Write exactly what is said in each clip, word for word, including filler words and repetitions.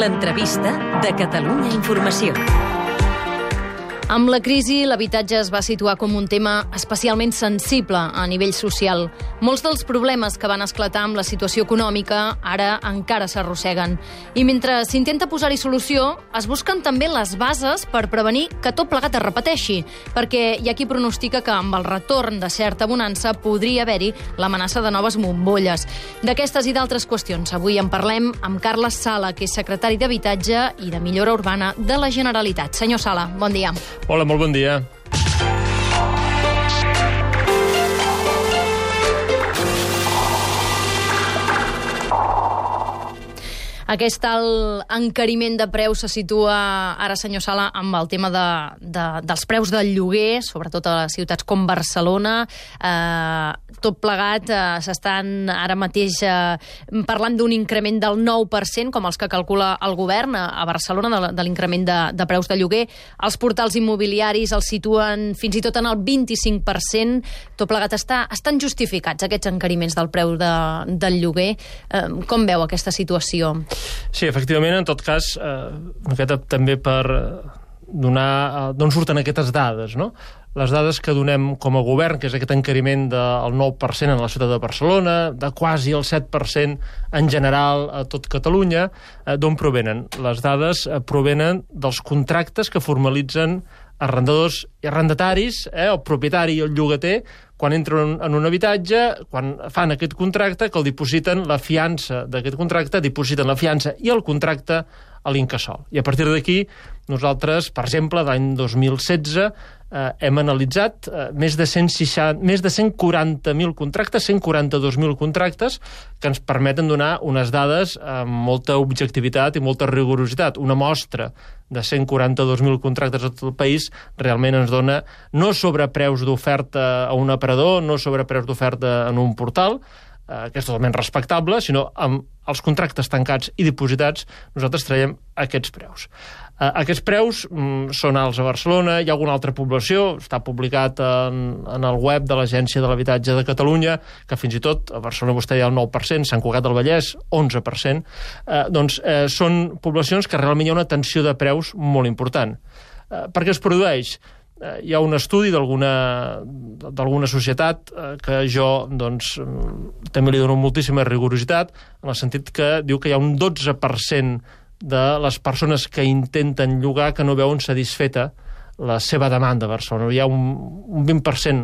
L'entrevista de Catalunya Informació. Amb la crisi, l'habitatge es va situar com un tema especialment sensible a nivell social. Molts dels problemes que van esclatar amb la situació econòmica ara encara s'arrosseguen. I mentre s'intenta posar-hi solució, es busquen també les bases per prevenir que tot plegat es repeteixi, perquè hi ha qui pronostica que amb el retorn de certa bonança podria haver-hi l'amenaça de noves bombolles. D'aquestes i d'altres qüestions avui en parlem amb Carles Sala, que és secretari d'Habitatge i de Millora Urbana de la Generalitat. Senyor Sala, bon dia. Hola, molt bon dia. Aquest alt encariment de preus se situa ara, senyor Sala, amb el tema de, de, dels preus del lloguer, sobretot a ciutats com Barcelona. Eh, tot plegat eh, s'estan ara mateix eh, parlant d'un increment del nou per cent, com els que calcula el govern a, a Barcelona, de, de l'increment de, de preus de lloguer. Els portals immobiliaris els situen fins i tot en el vint-i-cinc per cent. Tot plegat està, estan justificats aquests encariments del preu de, del lloguer. Eh, com veu aquesta situació? Sí, efectivament, en tot cas, eh, també per donar eh, d'on surten aquestes dades, no? Les dades que donem com a govern, que és aquest encariment del nou per cent en la ciutat de Barcelona, de quasi el set per cent en general a tot Catalunya, eh, d'on provenen? Les dades eh, provenen dels contractes que formalitzen arrendadors i arrendataris, eh, el propietari i el llogater, quan entren en un habitatge, quan fan aquest contracte, que el dipositen la fiança d'aquest contracte, dipositen la fiança i el contracte a l'Incasòl. I a partir d'aquí, nosaltres, per exemple, l'any dos mil setze, eh, hem analitzat eh, més de cent seixanta, més de cent quaranta mil contractes, cent quaranta-dos mil contractes, que ens permeten donar unes dades amb molta objectivitat i molta rigorositat. Una mostra de cent quaranta-dos mil contractes a tot el país realment ens dona no sobre preus d'oferta a un aparador, no sobre preus d'oferta en un portal, eh, que és totalment respectable, sinó amb els contractes tancats i dipositats nosaltres traiem aquests preus. Eh, aquests preus mm, són alts a Barcelona, hi ha alguna altra població, està publicat en, en el web de l'Agència de l'Habitatge de Catalunya, que fins i tot a Barcelona vostè hi ha el nou per cent, Sant Cugat del Vallès, onze per cent, eh, doncs eh, són poblacions que realment hi ha una tensió de preus molt important. Eh, per què es produeix? Eh, hi ha un estudi d'alguna d'alguna societat eh, que jo doncs, també li dono moltíssima rigorositat, en el sentit que diu que hi ha un dotze per cent de les persones que intenten llogar que no veuen satisfeta la seva demanda a Barcelona. Hi ha un, un vint per cent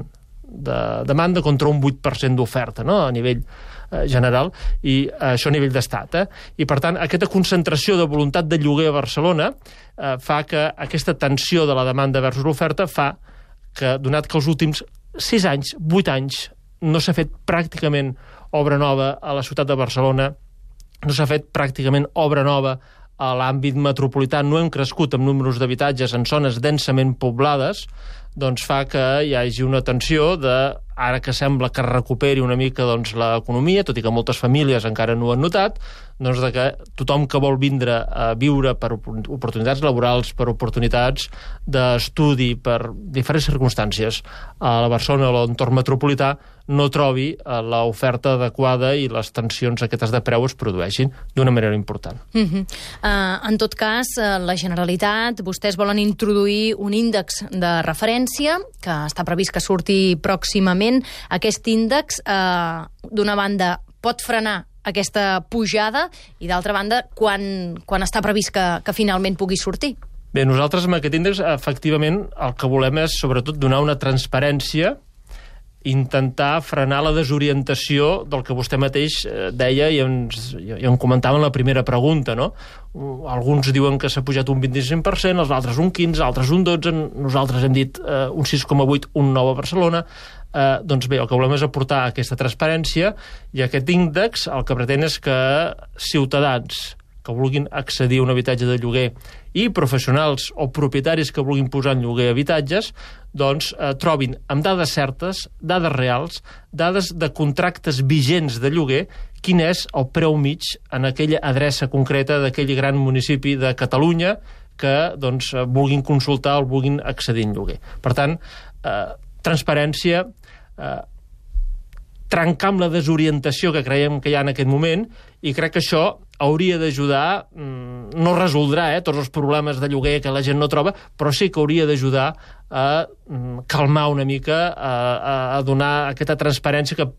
de demanda contra un vuit per cent d'oferta, no?, a nivell eh, general, i eh, això a nivell d'estat. Eh? I, per tant, aquesta concentració de voluntat de lloguer a Barcelona eh, fa que aquesta tensió de la demanda versus l'oferta fa que, donat que els últims sis anys, vuit anys, no s'ha fet pràcticament obra nova a la ciutat de Barcelona, no s'ha fet pràcticament obra nova a l'àmbit metropolità, no hem crescut amb números d'habitatges en zones densament poblades, doncs fa que hi hagi una tensió de, ara que sembla que recuperi una mica doncs, l'economia, tot i que moltes famílies encara no ho han notat, doncs de que tothom que vol vindre a viure per oportunitats laborals, per oportunitats d'estudi, per diferents circumstàncies a la Barcelona o a l'entorn metropolità, no trobi l'oferta adequada i les tensions aquestes de preu es produeixin d'una manera important. Uh-huh. uh, en tot cas, uh, la Generalitat, vostès volen introduir un índex de referència que està previst que surti pròximament. Aquest índex, uh, d'una banda, pot frenar aquesta pujada i, d'altra banda, quan, quan està previst que, que finalment pugui sortir? Bé, nosaltres amb aquest índex, efectivament, el que volem és, sobretot, donar una transparència, intentar frenar la desorientació del que vostè mateix deia i ens, i em comentava en la primera pregunta, no? Alguns diuen que s'ha pujat un vint-i-cinc per cent, els altres un quinze per cent, altres un dotze per cent, nosaltres hem dit eh, un sis coma vuit per cent, un nou a Barcelona. Eh, doncs bé, el que volem és aportar aquesta transparència i aquest índex el que pretén és que ciutadans que vulguin accedir a un habitatge de lloguer i professionals o propietaris que vulguin posar en lloguer habitatges, doncs eh, trobin amb dades certes, dades reals, dades de contractes vigents de lloguer, quin és el preu mig en aquella adreça concreta d'aquell gran municipi de Catalunya que doncs, vulguin consultar o vulguin accedir en lloguer. Per tant, eh, transparència, eh, trencar amb la desorientació que creiem que hi ha en aquest moment, i crec que això hauria d'ajudar, no resoldrà eh, tots els problemes de lloguer que la gent no troba, però sí que hauria d'ajudar a calmar una mica, a, a donar aquesta transparència que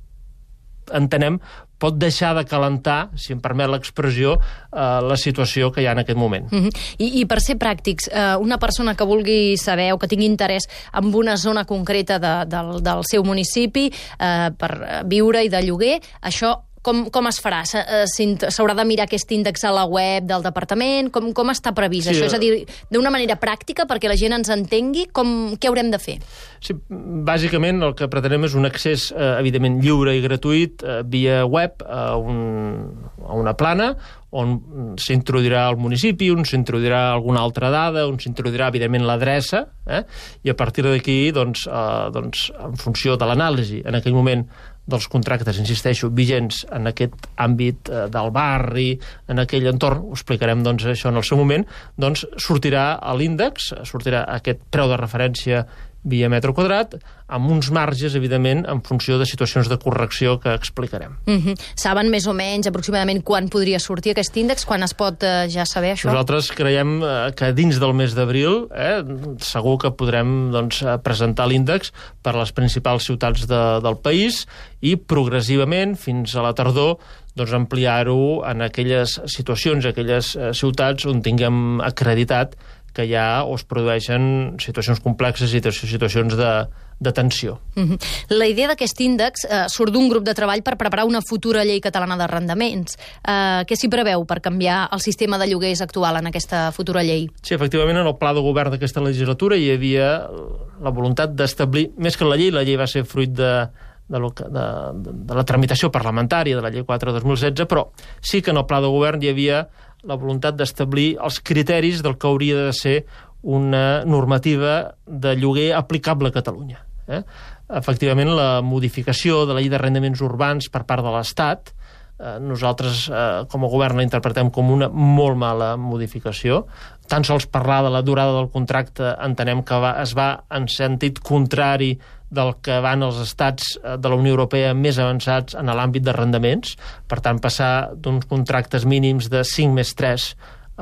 entenem pot deixar de calentar, si em permet l'expressió, eh, la situació que hi ha en aquest moment. Uh -huh. I, I per ser pràctics, eh, una persona que vulgui saber o que tingui interès en una zona concreta de, del, del seu municipi eh, per viure i de lloguer, això Com, com es farà? S'haurà de mirar aquest índex a la web del departament? Com, com està previst sí, això? És a dir, d'una manera pràctica, perquè la gent ens entengui, com, què haurem de fer? Sí, bàsicament el que pretenem és un accés, eh, evidentment, lliure i gratuït eh, via web a, un, a una plana on s'introduirà el municipi, on s'introduirà alguna altra dada, on s'introduirà, evidentment, l'adreça, eh? I a partir d'aquí, doncs, eh, doncs, en funció de l'anàlisi, en aquell moment, dels contractes, insisteixo, vigents en aquest àmbit eh, del barri, en aquell entorn, ho explicarem doncs, això en el seu moment, doncs sortirà a l'índex, sortirà aquest preu de referència via metre quadrat, amb uns marges, evidentment, en funció de situacions de correcció que explicarem. Mm-hmm. Saben més o menys aproximadament quan podria sortir aquest índex? Quan es pot eh, ja saber això? Nosaltres creiem eh, que dins del mes d'abril eh, segur que podrem doncs, presentar l'índex per a les principals ciutats de, del país i progressivament, fins a la tardor, doncs ampliar-ho en aquelles situacions, aquelles eh, ciutats on tinguem acreditat que ja o es produeixen situacions complexes i situacions de, de tensió. Mm-hmm. La idea d'aquest índex eh, surt d'un grup de treball per preparar una futura llei catalana d'arrendaments. Eh, què s'hi preveu per canviar el sistema de lloguers actual en aquesta futura llei? Sí, efectivament, en el pla de govern d'aquesta legislatura hi havia la voluntat d'establir, més que la llei, la llei va ser fruit de, de, de, de la tramitació parlamentària de la llei quatre dos mil setze, però sí que en el pla de govern hi havia la voluntat d'establir els criteris del que hauria de ser una normativa de lloguer aplicable a Catalunya. Eh? Efectivament, la modificació de la llei d'arrendaments urbans per part de l'Estat, eh, nosaltres eh, com a govern la interpretem com una molt mala modificació. Tan sols parlar de la durada del contracte entenem que va, es va en sentit contrari del que van els estats de la Unió Europea més avançats en l'àmbit d'arrendaments. Per tant, passar d'uns contractes mínims de cinc més tres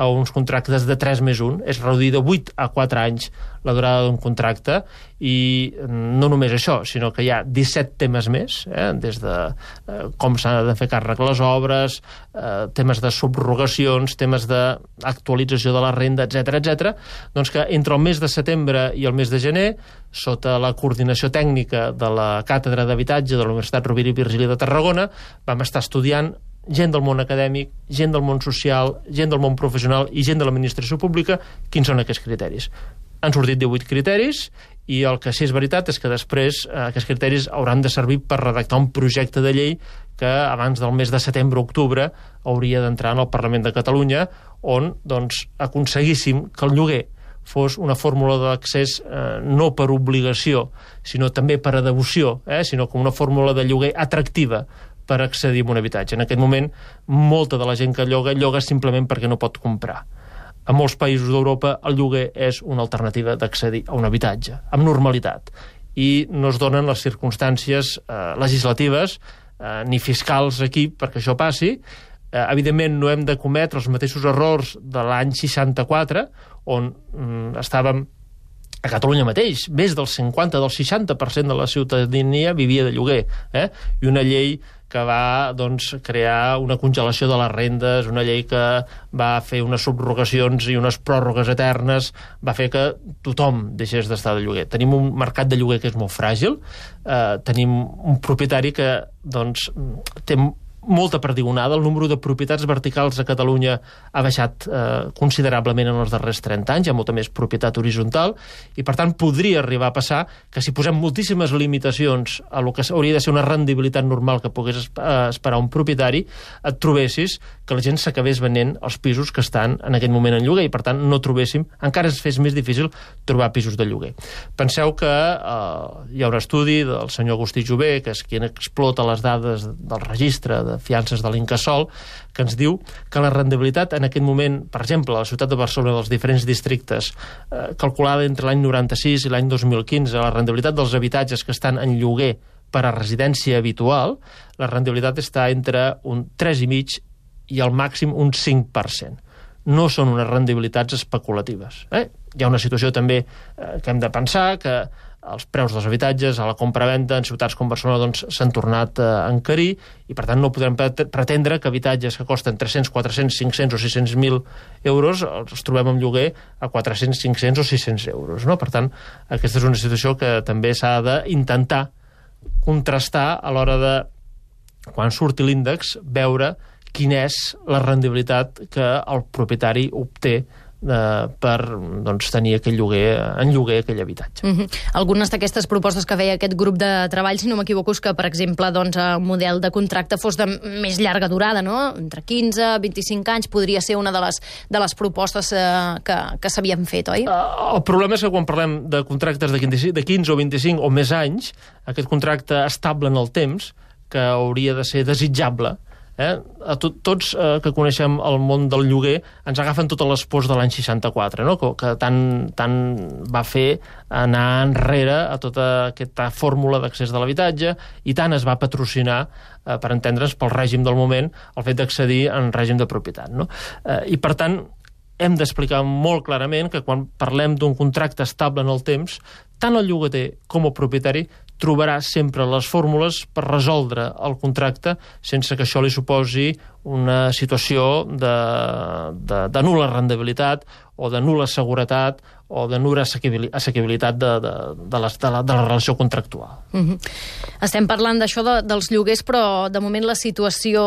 a uns contractes de tres més un, és reduir de vuit a quatre anys la durada d'un contracte, i no només això, sinó que hi ha disset temes més, eh, des de eh, com s'ha de fer càrrec les obres, eh, temes de subrogacions, temes d'actualització de la renda, etcètera, etcètera, doncs que entre el mes de setembre i el mes de gener, sota la coordinació tècnica de la Càtedra d'Habitatge de la Universitat Rovira i Virgili de Tarragona, vam estar estudiant gent del món acadèmic, gent del món social, gent del món professional i gent de l'administració pública, quins són aquests criteris. Han sortit divuit criteris i el que sí és veritat és que després eh, aquests criteris hauran de servir per redactar un projecte de llei que abans del mes de setembre-octubre hauria d'entrar en el Parlament de Catalunya, on doncs, aconseguíssim que el lloguer fos una fórmula d'accés eh, no per obligació, sinó també per a devoció, eh, sinó com una fórmula de lloguer atractiva per accedir a un habitatge. En aquest moment, molta de la gent que lloga, lloga simplement perquè no pot comprar. A molts països d'Europa el lloguer és una alternativa d'accedir a un habitatge, amb normalitat. I no es donen les circumstàncies eh, legislatives eh, ni fiscals aquí perquè això passi. Eh, evidentment, no hem de cometre els mateixos errors de l'any seixanta-quatre, on mm, estàvem a Catalunya mateix, més del cinquanta, del seixanta per cent de la ciutadania vivia de lloguer, eh? I una llei que va doncs, crear una congelació de les rendes, una llei que va fer unes subrogacions i unes pròrrogues eternes, va fer que tothom deixés d'estar de lloguer. Tenim un mercat de lloguer que és molt fràgil, eh, tenim un propietari que doncs, té molta perdigonada, el número de propietats verticals a Catalunya ha baixat eh, considerablement en els darrers trenta anys, hi ha molta més propietat horitzontal, i per tant podria arribar a passar que si posem moltíssimes limitacions a lo que hauria de ser una rendibilitat normal que pogués esperar un propietari, et trobessis que la gent s'acabés venent els pisos que estan en aquest moment en lloguer, i per tant no trobéssim, encara es fes més difícil trobar pisos de lloguer. Penseu que eh, hi ha un estudi del senyor Agustí Jové, que és qui explota les dades del registre de fiances de l'Incasòl, que ens diu que la rendibilitat en aquest moment, per exemple, a la ciutat de Barcelona, dels diferents districtes, eh, calculada entre l'any noranta-sis i l'any dos mil quinze, la rendibilitat dels habitatges que estan en lloguer per a residència habitual, la rendibilitat està entre un tres coma cinc i al màxim un cinc per cent. no són unes rendibilitats especulatives. Eh? Hi ha una situació també eh, que hem de pensar que els preus dels habitatges a la compra-venda en ciutats com Barcelona doncs, s'han tornat a encarir i per tant no podem pretendre que habitatges que costen tres-cents, quatre-cents, cinc-cents o sis-cents mil euros els trobem en lloguer a quatre-cents, cinc-cents o sis-cents euros. No? Per tant, aquesta és una situació que també s'ha d'intentar contrastar a l'hora de, quan surti l'índex, veure quina és la rendibilitat que el propietari obté Eh, per doncs, tenir aquell lloguer, en lloguer aquell habitatge. Mm-hmm. Algunes d'aquestes propostes que feia aquest grup de treball, si no m'equivoco, és que, per exemple, doncs, el model de contracte fos de més llarga durada, no? Entre quinze i vint-i-cinc anys podria ser una de les, de les propostes eh, que, que s'havien fet, oi? Uh, el problema és que quan parlem de contractes de quinze, de quinze o vint-i-cinc o més anys, aquest contracte estable en el temps, que hauria de ser desitjable, Eh? A to tots eh, que coneixem el món del lloguer ens agafen totes les pors de l'any seixanta-quatre, no? que, que tant, tant va fer anar enrere a tota aquesta fórmula d'accés de l'habitatge i tant es va patrocinar, eh, per entendre's, pel règim del moment, el fet d'accedir en règim de propietat. No? Eh, I per tant, hem d'explicar molt clarament que quan parlem d'un contracte estable en el temps, tant el llogater com el propietari trobarà sempre les fórmules per resoldre el contracte sense que això li suposi una situació de, de, de nul·la rendibilitat o de nul·la seguretat o de nul·la assequibilitat de, de, de, les, de, la, de la relació contractual. Mm-hmm. Estem parlant d'això de, dels lloguers, però de moment la situació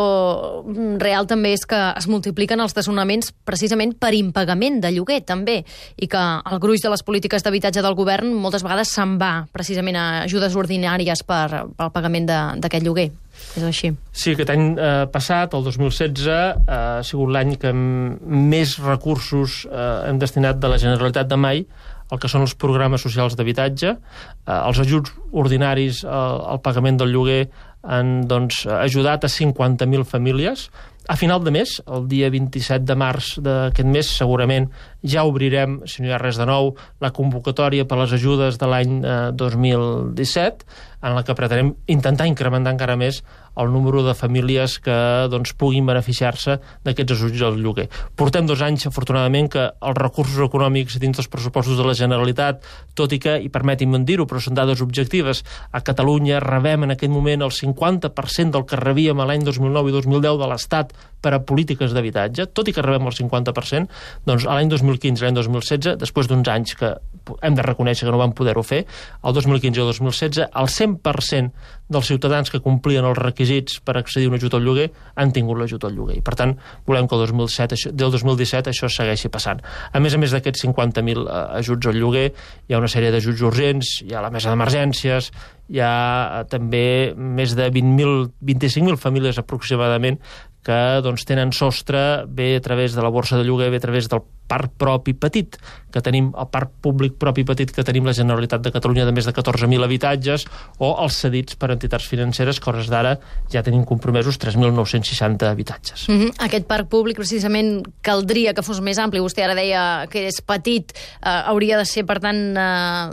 real també és que es multipliquen els desnonaments precisament per impagament de lloguer, també, i que el gruix de les polítiques d'habitatge del govern moltes vegades se'n va precisament a ajudes ordinàries per, pel pagament d'aquest lloguer. És així. Sí, aquest any eh, passat, el dos mil setze, eh, ha sigut l'any que més recursos eh, hem destinat de la Generalitat de mai el que són els programes socials d'habitatge. Eh, els ajuts ordinaris eh, al pagament del lloguer han doncs, ajudat a cinquanta mil famílies. A final de mes, el dia vint-i-set de març d'aquest mes, segurament ja obrirem, si no hi ha res de nou, la convocatòria per les ajudes de l'any eh, dos mil disset, en la que pretenem intentar incrementar encara més el número de famílies que doncs, puguin beneficiar-se d'aquests ajuts al lloguer. Portem dos anys, afortunadament, que els recursos econòmics dins dels pressupostos de la Generalitat, tot i que, i permeti'm dir-ho, però són dades objectives, a Catalunya rebem en aquest moment el cinquanta per cent del que rebíem a l'any dos mil nou i dos mil deu de l'Estat per a polítiques d'habitatge, tot i que rebem el cinquanta per cent, doncs a l'any dos mil quinze i l'any dos mil setze, després d'uns anys que hem de reconèixer que no vam poder-ho fer, el dos mil quinze i el dos mil setze, el cent per cent dels ciutadans que complien els requisits per accedir a un ajut al lloguer han tingut l'ajut al lloguer. I, per tant, volem que el dos mil set, del dos mil disset això segueixi passant. A més a més d'aquests cinquanta mil eh, ajuts al lloguer, hi ha una sèrie d'ajuts urgents, hi ha la mesa d'emergències, hi ha eh, també més de vint mil, vint-i-cinc mil famílies aproximadament que doncs, tenen sostre bé a través de la borsa de lloguer, bé a través del parc propi petit que tenim, el parc públic propi petit que tenim la Generalitat de Catalunya de més de catorze mil habitatges, o els cedits per entitats financeres, que hores d'ara ja tenim compromesos tres mil nou-cents seixanta habitatges. Mm-hmm. Aquest parc públic precisament caldria que fos més ampli. Vostè ara deia que és petit, eh, hauria de ser per tant eh,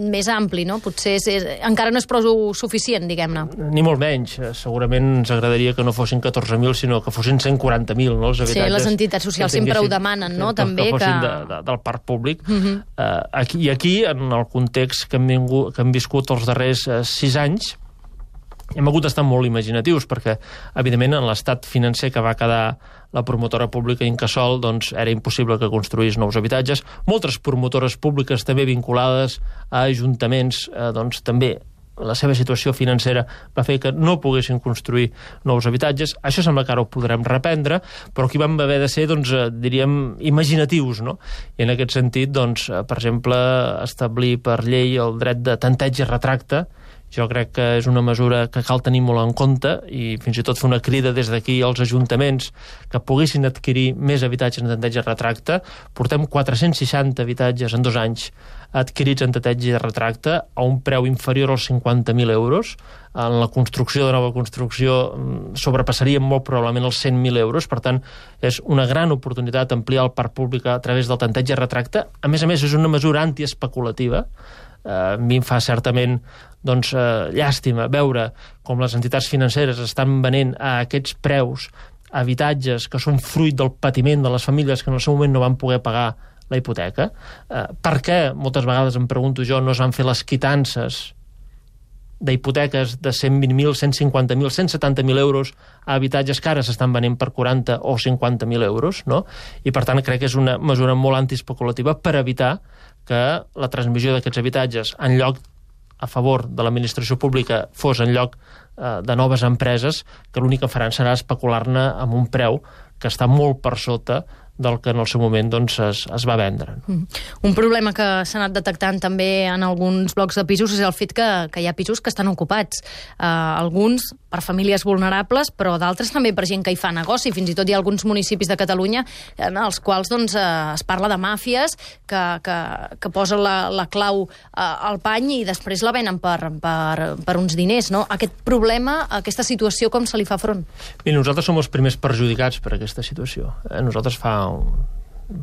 més ampli, no? Potser és, és, encara no és prou suficient, diguem-ne. Ni molt menys. Segurament ens agradaria que no fossin catorze mil, sinó que fossin cent quaranta mil, no, els habitatges. Sí, les entitats socials sempre ho demanen, no? Que, també que fossin que... de, de, del parc públic. Uh-huh. uh, aquí, I aquí, en el context que hem, vingut, que hem viscut els darrers uh, sis anys, hem hagut d'estar molt imaginatius, perquè, evidentment, en l'estat financer que va quedar la promotora pública Incasòl, doncs era impossible que construís nous habitatges. Moltes promotores públiques també vinculades a ajuntaments, eh, doncs també la seva situació financera va fer que no poguessin construir nous habitatges. Això sembla que ara ho podrem reprendre, però aquí vam haver de ser, doncs, diríem, imaginatius, no? I en aquest sentit, doncs, per exemple, establir per llei el dret de tanteig i retracte. Jo crec que és una mesura que cal tenir molt en compte i fins i tot fer una crida des d'aquí als ajuntaments que poguessin adquirir més habitatges en tanteig i retracte. Portem quatre-cents seixanta habitatges en dos anys adquirits en tanteig i retracte a un preu inferior als cinquanta mil euros. En la construcció de nova construcció sobrepassaríem molt probablement els cent mil euros. Per tant, és una gran oportunitat ampliar el parc públic a través del tanteig i retracte. A més a més, és una mesura antiespeculativa. Uh, a mi em fa certament doncs, uh, llàstima veure com les entitats financeres estan venent a aquests preus habitatges que són fruit del patiment de les famílies que en el seu moment no van poder pagar la hipoteca. Eh, per què, moltes vegades em pregunto jo, no es van fer les quitances d'hipoteques de cent vint mil, cent cinquanta mil, cent setanta mil euros a habitatges que ara s'estan venent per quaranta o cinquanta mil euros, no? I per tant crec que és una mesura molt antiespeculativa per evitar que la transmissió d'aquests habitatges en lloc a favor de l'administració pública fos en lloc eh, de noves empreses que l'únic que faran serà especular-ne amb un preu que està molt per sota del que en el seu moment doncs, es, es va vendre. Mm. Un problema que s'ha anat detectant també en alguns blocs de pisos és el fet que, que hi ha pisos que estan ocupats. Uh, alguns per famílies vulnerables, però d'altres també per gent que hi fa negoci. Fins i tot hi ha alguns municipis de Catalunya en els quals doncs, uh, es parla de màfies que, que, que posen la, la clau uh, al pany i després la venen per, per, per uns diners. No? Aquest problema, aquesta situació, com se li fa front? Mira, nosaltres som els primers perjudicats per aquesta situació. Eh? Nosaltres fa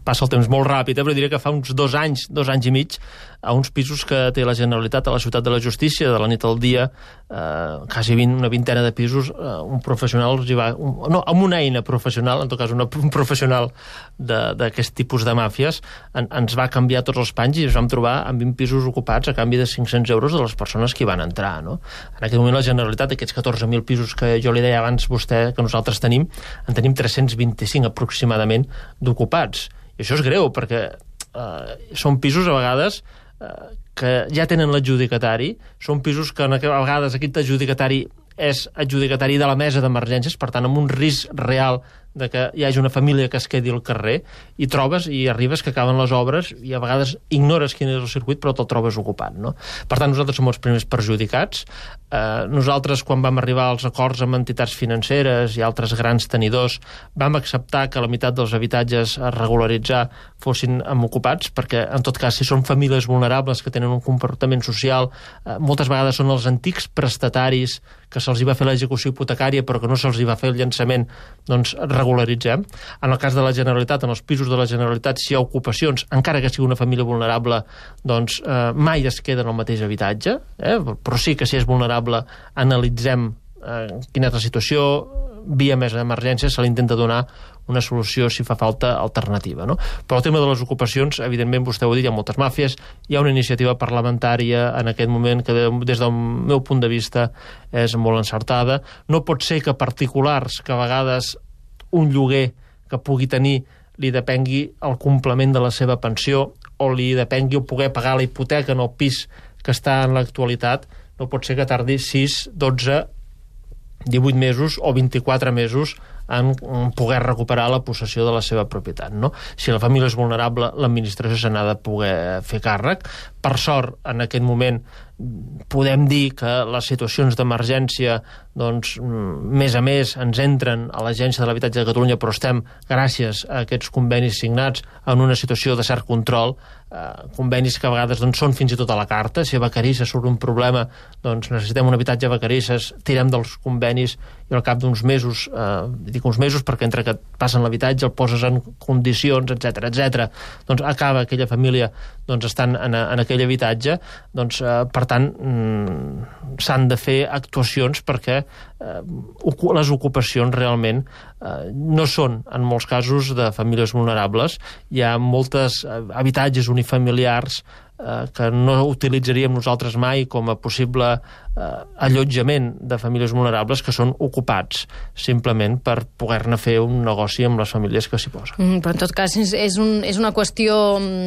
passa el temps molt ràpid, eh? Però diria que fa uns dos anys, dos anys i mig, a uns pisos que té la Generalitat a la Ciutat de la Justícia, de la nit al dia, eh, quasi vint, una vintena de pisos, eh, un professional els hi va... Un, no, amb una eina professional, en tot cas una, un professional d'aquest tipus de màfies, en, ens va canviar tots els panys i ens vam trobar amb vint pisos ocupats a canvi de cinc-cents euros de les persones que hi van entrar, no? En aquest moment la Generalitat, aquests catorze mil pisos que jo li deia abans vostè que nosaltres tenim, en tenim tres-cents vint-i-cinc aproximadament d'ocupats. I això és greu, perquè eh, són pisos a vegades eh, que ja tenen l'adjudicatari, són pisos que a vegades aquest adjudicatari és adjudicatari de la mesa d'emergències, per tant, amb un risc real de que hi hagi una família que es quedi al carrer, i trobes i arribes que acaben les obres i a vegades ignores quin és el circuit però te'l trobes ocupat, no? Per tant, nosaltres som els primers perjudicats. Eh, nosaltres, quan vam arribar als acords amb entitats financeres i altres grans tenidors, vam acceptar que la meitat dels habitatges a regularitzar fossin ocupats, perquè, en tot cas, si són famílies vulnerables que tenen un comportament social, eh, moltes vegades són els antics prestataris que se'ls hi va fer l'execució hipotecària però que no se'ls hi va fer el llançament, doncs regularitzem. En el cas de la Generalitat, en els pisos de la Generalitat, si hi ha ocupacions, encara que sigui una família vulnerable, doncs eh, mai es queda en el mateix habitatge, eh? Però sí que si és vulnerable analitzem eh, quina és la situació, via mesa d'emergència se li intenta donar una solució, si fa falta, alternativa, no? Però el tema de les ocupacions, evidentment, vostè ho ha dit, hi ha moltes màfies, hi ha una iniciativa parlamentària en aquest moment que, des del meu punt de vista, és molt encertada. No pot ser que particulars, que a vegades un lloguer que pugui tenir li depengui el complement de la seva pensió o li depengui o poder pagar la hipoteca en el pis que està en l'actualitat, no pot ser que tardi sis, dotze, divuit mesos o vint-i-quatre mesos en poder recuperar la possessió de la seva propietat, no? Si la família és vulnerable, l'administració se n'ha de poder fer càrrec. Per sort, en aquest moment, podem dir que les situacions d'emergència, doncs, més a més, ens entren a l'Agència de l'Habitatge de Catalunya, però estem, gràcies a aquests convenis signats, en una situació de cert control, eh, convenis que a vegades doncs, són fins i tot a la carta. Si a Vacarisses surt un problema, doncs necessitem un habitatge a Vacarisses, tirem dels convenis i al cap d'uns mesos, eh, dic uns mesos perquè entre que et passen l'habitatge, el poses en condicions, etcètera, etcètera, doncs acaba aquella família doncs, estant en, en aquell habitatge, doncs, eh, per tant, mm, s'han de fer actuacions perquè eh, les ocupacions realment eh, no són, en molts casos, de famílies vulnerables. Hi ha moltes eh, habitatges unifamiliars eh, que no utilitzaríem nosaltres mai com a possible eh, allotjament de famílies vulnerables, que són ocupats simplement per poder-ne fer un negoci amb les famílies que s'hi posen. Mm, però en tot cas és, és, un, és una qüestió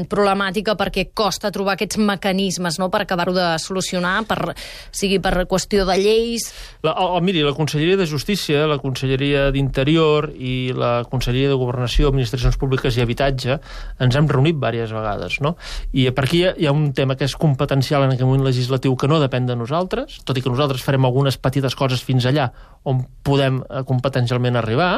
problemàtica perquè costa trobar aquests mecanismes, no?, per acabar-ho de solucionar, per, sigui per qüestió de lleis... La, o, miri, la Conselleria de Justícia, la Conselleria d'Interior i la Conselleria de Governació, Administracions Públiques i Habitatge ens hem reunit diverses vegades, no? I per aquí hi ha, hi ha un tema que és competencial en aquest moment legislatiu que no depèn de nosaltres, tot i que nosaltres farem algunes petites coses fins allà on podem eh, competencialment arribar.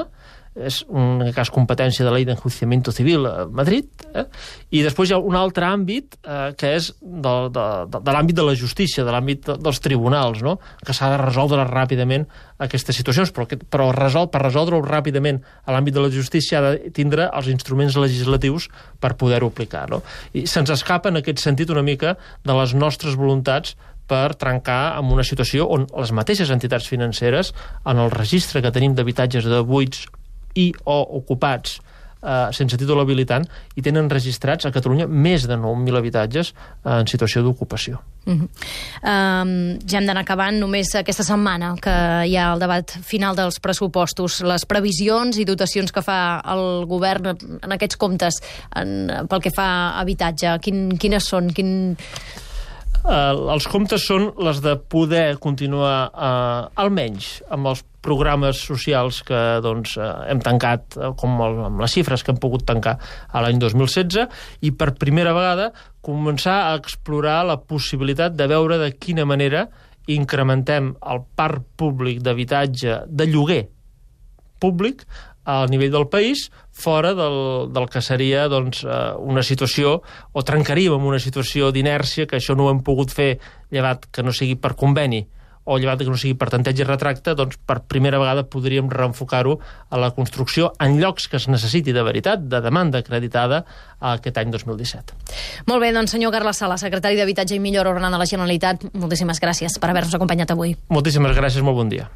És un cas competència de la Llei d'Enjuiciamiento Civil a Madrid, eh? I després hi ha un altre àmbit eh, que és de, de, de, de l'àmbit de la justícia, de l'àmbit de, dels tribunals, no?, que s'ha de resoldre ràpidament aquestes situacions, però, però resol, per resoldre-ho ràpidament a l'àmbit de la justícia ha de tindre els instruments legislatius per poder-ho aplicar, no? I se'ns escapa en aquest sentit una mica de les nostres voluntats per trencar amb una situació on les mateixes entitats financeres, en el registre que tenim d'habitatges de buits i o ocupats eh, sense títol habilitant, i tenen registrats a Catalunya més de nou mil habitatges eh, en situació d'ocupació. Uh -huh. um, ja hem d'anar acabant. Només aquesta setmana que hi ha el debat final dels pressupostos, les previsions i dotacions que fa el govern en aquests comptes en, pel que fa a habitatge, quin, quines són? Quin... Uh, els comptes són les de poder continuar uh, almenys amb els programes socials que doncs, uh, hem tancat, uh, com el, amb les xifres que hem pogut tancar a l'any dos mil setze, i per primera vegada començar a explorar la possibilitat de veure de quina manera incrementem el parc públic d'habitatge de lloguer públic al nivell del país, fora del, del que seria doncs, una situació, o trencaríem amb una situació d'inèrcia, que això no ho hem pogut fer, llevat que no sigui per conveni, o llevat que no sigui per tanteig i retracte, doncs per primera vegada podríem reenfocar-ho a la construcció en llocs que es necessiti de veritat, de demanda acreditada, aquest any dos mil disset. Molt bé, doncs senyor Carles Sala, secretari d'Habitatge i Millora Urbana de la Generalitat, moltíssimes gràcies per haver-nos acompanyat avui. Moltíssimes gràcies, molt bon dia.